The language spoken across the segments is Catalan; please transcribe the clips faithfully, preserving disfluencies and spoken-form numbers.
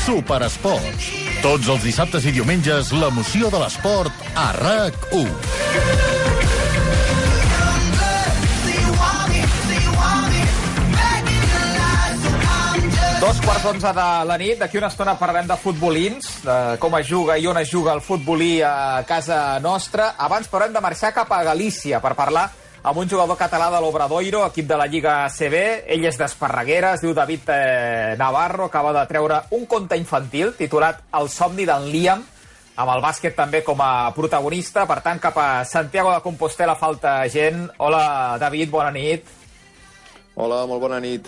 Superesports. Tots els dissabtes i diumenges, l'emoció de l'esport a RAC u. Dos quarts d'onze de la nit, d'aquí una estona parlarem de futbolins, de com es juga i on es juga el futbolí a casa nostra. Abans però hem de marxar cap a Galícia per parlar amb un jugador català de l'Obradoiro, equip de la Lliga A C B. Ell és d'Esparreguera, es diu David eh, Navarro, acaba de treure un conte infantil titulat El somni d'en Liam, amb el bàsquet també com a protagonista. Per tant, cap a Santiago de Compostela falta gent. Hola, David, bona nit. Hola, molt bona nit.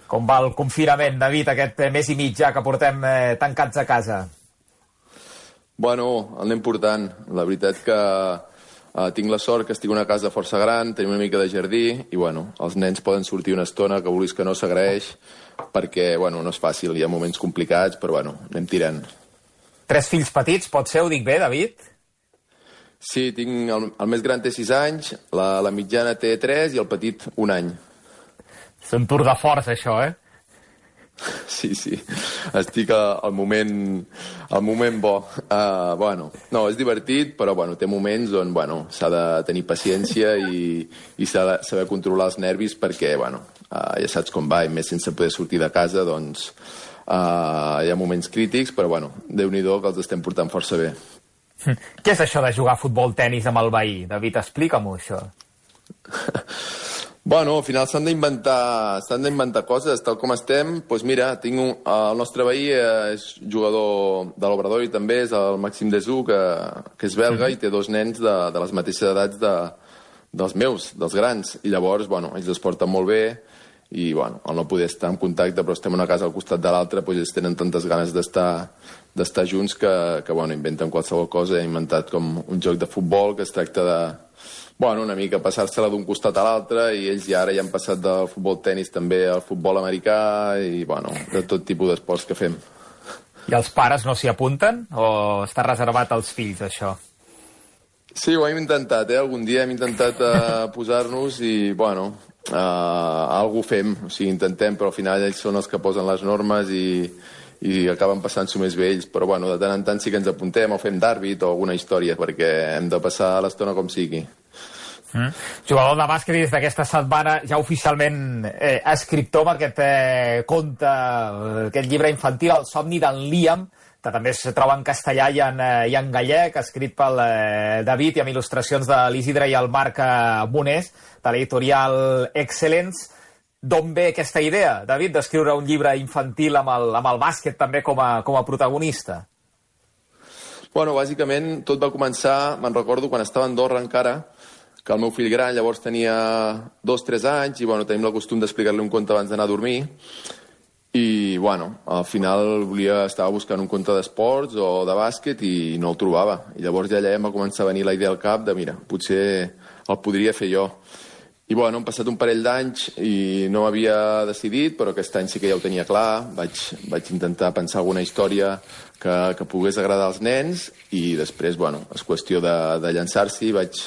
Com va el confinament, David, aquest mes i mig ja que portem eh, tancats a casa? Bueno, el anem portant. La veritat que eh, tinc la sort que estic en una casa força gran, tenim una mica de jardí i, bueno, els nens poden sortir una estona que vulguis que no s'agraeix perquè, bueno, no és fàcil, hi ha moments complicats, però, bueno, anem tirant. Tres fills petits, pot ser, ho dic bé, David? Sí, tinc el, el més gran té sis anys, la, la mitjana té tres i el petit un any. És un tour de força, això, eh? Sí, sí. Estic al moment, al moment bo. Uh, bueno, no, és divertit, però bueno, té moments on bueno, s'ha de tenir paciència i, i s'ha de saber controlar els nervis perquè, bueno, uh, ja saps com va, i més sense poder sortir de casa, doncs uh, hi ha moments crítics, però bueno, Déu-n'hi-do que els estem portant força bé. Què és això de jugar a futbol-tenis amb el veí? David, explica-m'ho, això. Bueno, al final s'han d'inventar s'han d'inventar coses, tal com estem. Doncs mira, tinc un, el nostre veí és jugador de l'Obradoiro i també és el Màxim Desú, que, que és belga i té dos nens de, de les mateixes edats de, dels meus, dels grans. I llavors, bueno, ells es porten molt bé i, bueno, al no poder estar en contacte, però estem una casa al costat de l'altra, doncs ells tenen tantes ganes d'estar d'estar junts que, que, bueno, inventen qualsevol cosa. He inventat com un joc de futbol que es tracta de bueno, una mica passar-se-la d'un costat a l'altre i ells ja ara ja han passat del futbol-tenis també al futbol americà i, bueno, de tot tipus d'esports que fem. I els pares no s'hi apunten? O està reservat als fills, això? Sí, ho hem intentat, eh? Algun dia hem intentat uh, posar-nos i, bueno, uh, alguna fem. O sigui, intentem, però al final ells són els que posen les normes i, i acaben passant-s'ho més bé ells. Però, bueno, de tant en tant sí que ens apuntem o fem d'àrbit o alguna història perquè hem de passar l'estona com sigui. Mm. Jugador de bàsquet i des d'aquesta setmana ja oficialment eh, escriptor amb aquest eh, conte, eh, aquest llibre infantil, El somni d'en Liam, que també es troba en castellà i en, eh, i en gallec, escrit pel eh, David i amb il·lustracions de l'Isidre i el Marc eh, Monés, de l'editorial Excellence. D'on ve aquesta idea, David, d'escriure un llibre infantil amb el, amb el bàsquet també com a, com a protagonista? Bueno, bàsicament tot va començar, me'n recordo, quan estava a Andorra encara, que el meu fill gran llavors tenia dos o tres anys i, bueno, tenim el costum d'explicar-li un conte abans d'anar a dormir i, bueno, al final volia, estava buscant un conte d'esports o de bàsquet i no el trobava. I llavors ja allà em va començar a venir la idea al cap de, mira, potser el podria fer jo. I, bueno, han passat un parell d'anys i no havia decidit, però aquest any sí que ja ho tenia clar. Vaig, vaig intentar pensar alguna història que, que pogués agradar als nens i després, bueno, és qüestió de, de llançar-s'hi. Vaig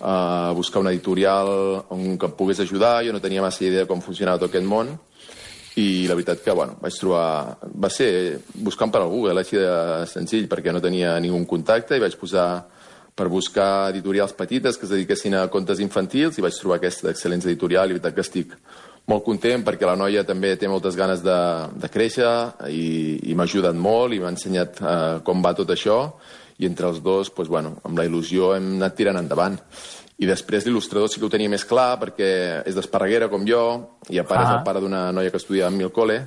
a uh, buscar una editorial on que em pogués ajudar. Jo no tenia massa idea de com funcionava tot aquest món i la veritat que, bueno, vaig trobar... Va ser buscant per al Google, així de senzill, perquè no tenia ningú contacte i vaig posar per buscar editorials petites que es dediquessin a contes infantils i vaig trobar aquesta excel·lent editorial i la veritat que estic molt content perquè la noia també té moltes ganes de, de créixer i, i m'ha ajudat molt i m'ha ensenyat uh, com va tot això i entre els dos, doncs, bueno, amb la il·lusió hem anat tirant endavant. I després l'il·lustrador sí que ho tenia més clar perquè és d'Esparreguera com jo i a part ah. és el pare d'una noia que estudiava en Milcole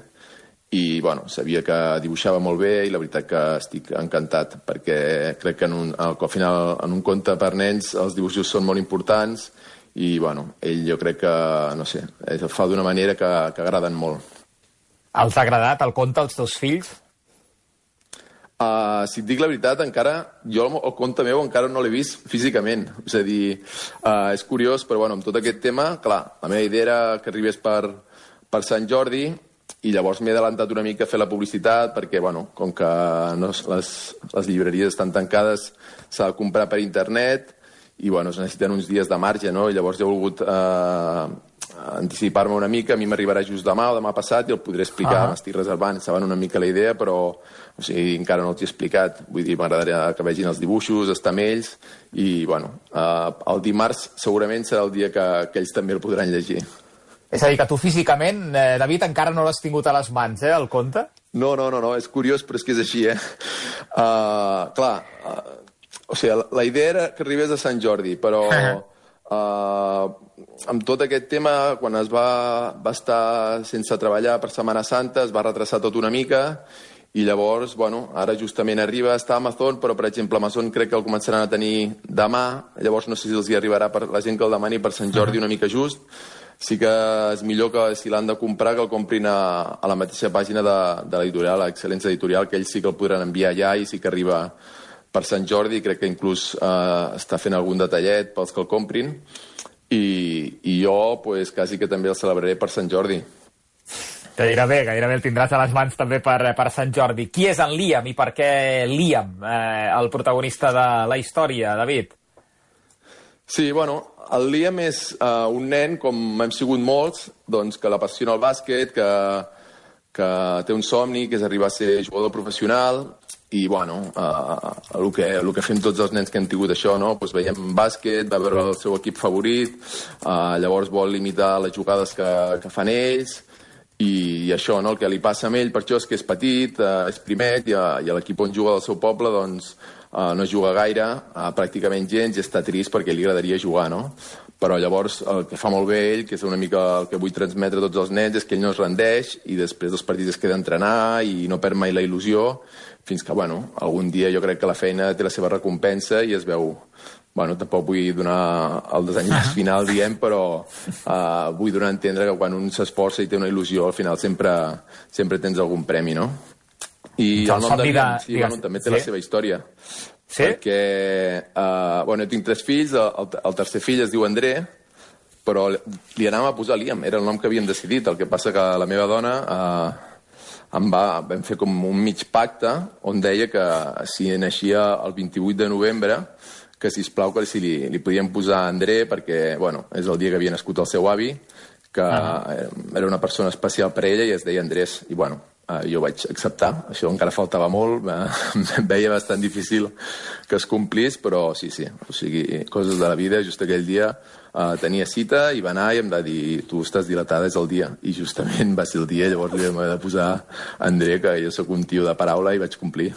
i, bueno, sabia que dibuixava molt bé i la veritat que estic encantat perquè crec que en un, al final en un conte per nens els dibuixos són molt importants i, bueno, ell jo crec que, no sé, el fa d'una manera que, que agraden molt. Els ha agradat el conte als teus fills? Uh, si et dic la veritat, encara jo el conte meu encara no l'he vist físicament. És a dir, uh, és curiós, però bueno, amb tot aquest tema, clar, la meva idea era que arribés per, per Sant Jordi i llavors m'he adelantat una mica a fer la publicitat perquè, bueno, com que no, les, les llibreries estan tancades, s'ha de comprar per internet i, bueno, es necessiten uns dies de marge, no? I llavors he volgut eh, anticipar-me una mica, a mi m'arribarà just demà o demà passat i el podré explicar, uh -huh. m'estic reservant, saben una mica la idea, però o sigui, encara no els he explicat, vull dir, m'agradaria que vegin els dibuixos, estar amb ells, i bueno, uh, el dimarts segurament serà el dia que, que ells també el podran llegir. És a dir, que tu físicament, eh, David, encara no l'has tingut a les mans, eh, el conte? No, no, no, no, és curiós, però és que és així, eh? Uh, clar, uh, o sigui, la, la idea era que arribés a Sant Jordi, però uh, amb tot aquest tema, quan es va, va estar sense treballar per Setmana Santa, es va retrasar tot una mica, i llavors, bueno, ara justament arriba, està a Amazon, però, per exemple, Amazon crec que el començaran a tenir demà, llavors no sé si els hi arribarà per la gent que el demani per Sant Jordi una mica just. Sí que és millor que si l'han de comprar que el comprin a, a la mateixa pàgina de, de l'editorial, l'Excel·lència Editorial, que ells sí que el podran enviar ja i sí que arriba per Sant Jordi, crec que inclús eh, està fent algun detallet pels que el comprin, i, i jo pues, quasi que també el celebraré per Sant Jordi. Gairebé, gairebé el tindràs a les mans també per, per Sant Jordi. Qui és en Liam i per què Liam, eh, el protagonista de la història, David? Sí, bueno, el Liam és uh, un nen, com hem sigut molts, doncs, que l'apassiona el bàsquet, que, que té un somni, que és arribar a ser jugador professional, i, bueno, uh, el, que, el que fem tots els nens que hem tingut això, no? Pues veiem bàsquet, va veure el seu equip favorit, uh, llavors vol limitar les jugades que, que fan ells, i, i això, no? El que li passa a ell, per això és que és petit, uh, és primet, i, uh, i l'equip on juga del seu poble, doncs, Uh, no juga gaire, uh, pràcticament gens, i està trist perquè li agradaria jugar, no? Però llavors el que fa molt bé ell, que és una mica el que vull transmetre a tots els nens, és que ell no es rendeix i després dels partits es queda a entrenar i no perd mai la il·lusió, fins que, bueno, algun dia jo crec que la feina té la seva recompensa i es veu... Bueno, tampoc vull donar el desenllaç final, diem, però uh, vull donar a entendre que quan un s'esforça i té una il·lusió, al final sempre, sempre tens algun premi, no? I el nom de Liam, sí, bueno, també té sí? la seva història. Sí? Perquè, uh, bueno, jo tinc tres fills, el, el tercer fill es diu André, però li anàvem a posar Liam, era el nom que havíem decidit. El que passa que la meva dona uh, em va, vam fer com un mig pacte on deia que si naixia el vint-i-vuit de novembre, que sisplau que si li, li podíem posar André, perquè, bueno, és el dia que havia nascut el seu avi, que uh-huh. era una persona especial per ella i es deia Andrés, i bueno, Uh, jo vaig acceptar, això encara faltava molt, em veia bastant difícil que es complís, però sí, sí, o sigui, coses de la vida. Just aquell dia uh, tenia cita i va anar i em va dir, tu estàs dilatada, és el dia, i justament va ser el dia, llavors li vam haver de posar André, que jo sóc un tio de paraula, i vaig complir.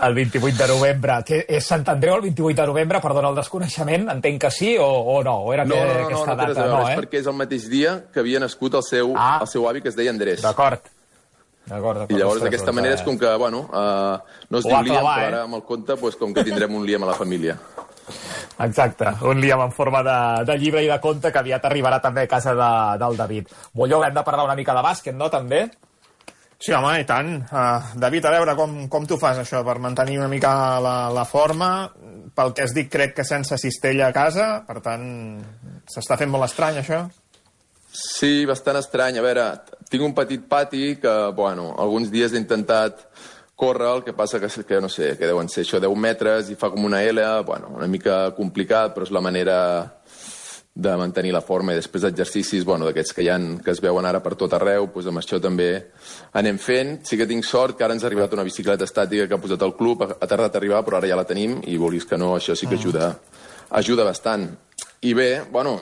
El vint-i-vuit de novembre, que és Sant Andreu el vint-i-vuit de novembre, perdona el desconeixement, entenc que sí o, o no? O era no, no, no, aquesta no, no, data? No, no, és eh? perquè és el mateix dia que havia nascut el seu, ah. el seu avi, que es deia Andrés. D'acord. D'acord, I llavors d'aquesta manera és com que, bueno, uh, no es diu Liam, però ara amb el conte, pues, com que tindrem un Liam a la família. Exacte, un Liam en forma de, de llibre i de conte que aviat arribarà també a casa de, del David. Molló, hem de parlar una mica de bàsquet, no, també? Sí, home, i tant. Uh, David, a veure, com, com tu fas això per mantenir una mica la, la forma? Pel que has dit, crec que sense cistella a casa, per tant, s'està fent molt estrany, això? Sí, bastant estrany. A veure, tinc un petit pati que, bueno, alguns dies he intentat córrer, el que passa que, que no sé, que deuen ser això deu metres i fa com una L, bueno, una mica complicat, però és la manera de mantenir la forma. I després exercicis, bueno, d'aquests que hi ha, que es veuen ara per tot arreu, doncs amb això també anem fent. Sí que tinc sort que ara ens ha arribat una bicicleta estàtica que ha posat el club, ha tardat a arribar, però ara ja la tenim, i vulguis que no, això sí que ajuda, ajuda bastant. I bé, bueno,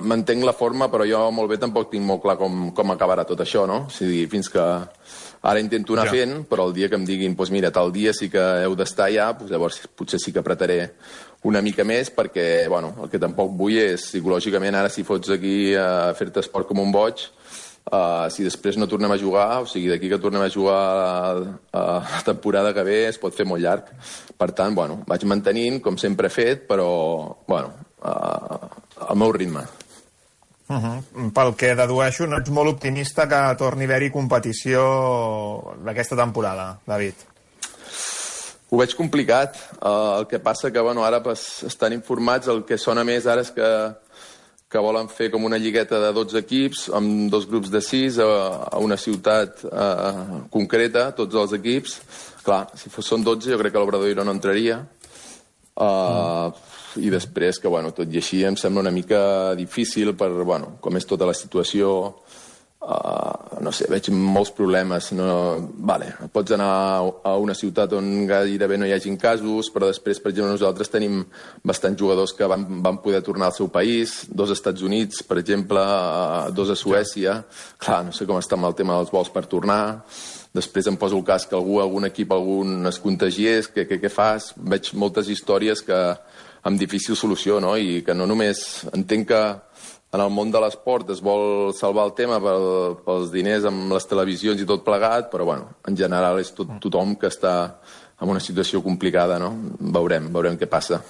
mantenc la forma, però jo molt bé tampoc tinc molt clar com, com acabarà tot això, no? O sigui, fins que ara intento anar ja. fent, però el dia que em diguin, doncs mira, tal dia sí que heu d'estar ja, doncs llavors potser sí que apretaré una mica més, perquè, bueno, el que tampoc vull és, psicològicament, ara si fots aquí a fer-te esport com un boig, uh, si després no tornem a jugar, o sigui, d'aquí que tornem a jugar a, a la temporada que ve, es pot fer molt llarg. Per tant, bueno, vaig mantenint, com sempre he fet, però, bueno, uh, al meu ritme. Uh-huh. Pel que dedueixo, no ets molt optimista que torni a haver-hi competició d'aquesta temporada, David? Ho veig complicat. Uh, el que passa que, bueno, ara pues, estan informats, el que sona més ara és que, que volen fer com una lligueta de dotze equips, amb dos grups de sis, a, a una ciutat uh, concreta, tots els equips. Clar, si fos, són dotze, jo crec que l'Obradoiro no entraria. Uh, mm. i després que, bueno, tot i així em sembla una mica difícil per, bueno, com és tota la situació, uh, no sé, veig molts problemes. No, vale, pots anar a una ciutat on gairebé no hi hagin casos, però després, per exemple, nosaltres tenim bastants jugadors que van, van poder tornar al seu país, dos als Estats Units, per exemple, uh, dos a Suècia. Clar, no sé com està amb el tema dels vols per tornar. Després em poso el cas que algú, algun equip, algun es contagiés, què, què, què fas? Veig moltes històries que amb difícil solució, no? I que no només entenc que en el món de l'esport es vol salvar el tema pel, pels diners amb les televisions i tot plegat, però bueno, en general és tot, tothom que està en una situació complicada, no? Veurem, veurem què passa.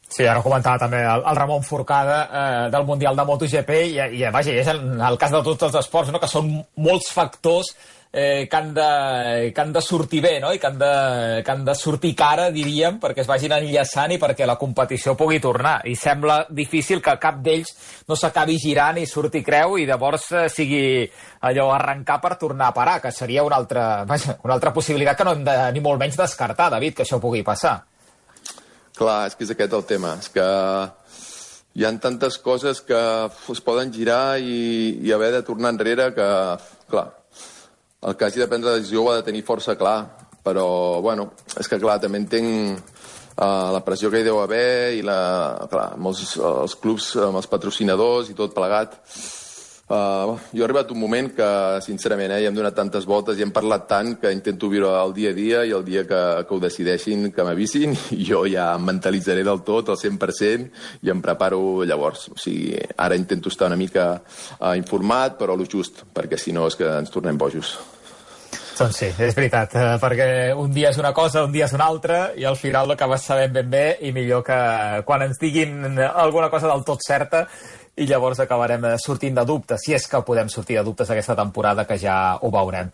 Sí, ara ho comentava també el, el Ramon Forcada eh, del Mundial de MotoGP i, i vaja, és el, el cas de tots els esports, no? Que són molts factors eh, que, han de, que han de sortir bé, no? I que han de, que han de sortir cara, diríem, perquè es vagin enllaçant i perquè la competició pugui tornar. I sembla difícil que cap d'ells no s'acabi girant i surti creu i llavors eh, sigui allò arrencar per tornar a parar, que seria una altra, vaja, una altra possibilitat que no hem de, ni molt menys descartar, David, que això pugui passar. Clar, és que és aquest el tema, és que hi ha tantes coses que es poden girar i, i haver de tornar enrere que, clar, el que hagi de prendre la decisió ho ha de tenir força clar, però, bueno, és que, clar, també entenc uh, la pressió que hi deu haver i, la, clar, amb els, els clubs, amb els patrocinadors i tot plegat. Uh, jo he arribat un moment que, sincerament, eh, ja hem donat tantes voltes i hem parlat tant que intento viure el dia a dia i el dia que, que ho decideixin, que m'avisin, i jo ja em mentalitzaré del tot, al cent per cent, i em preparo llavors. O sigui, ara intento estar una mica uh, informat, però lo just, perquè si no és que ens tornem bojos. Doncs sí, és veritat, eh, perquè un dia és una cosa, un dia és una altra, i al final l'acabes sabent ben bé, i millor que quan ens diguin alguna cosa del tot certa, i llavors acabarem sortint de dubtes, si és que podem sortir de dubtes aquesta temporada, que ja ho veurem.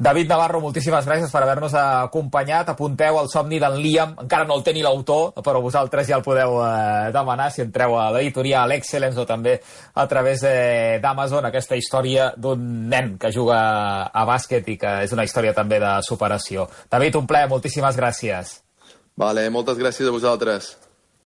David Navarro, moltíssimes gràcies per haver-nos acompanyat. Apunteu el somni d'en Liam, encara no el té ni l'autor, però vosaltres ja el podeu eh, demanar si entreu a l'editorial Excellence o també a través eh, d'Amazon, aquesta història d'un nen que juga a bàsquet i que és una història també de superació. David, un plaer, moltíssimes gràcies. Vale, moltes gràcies a vosaltres.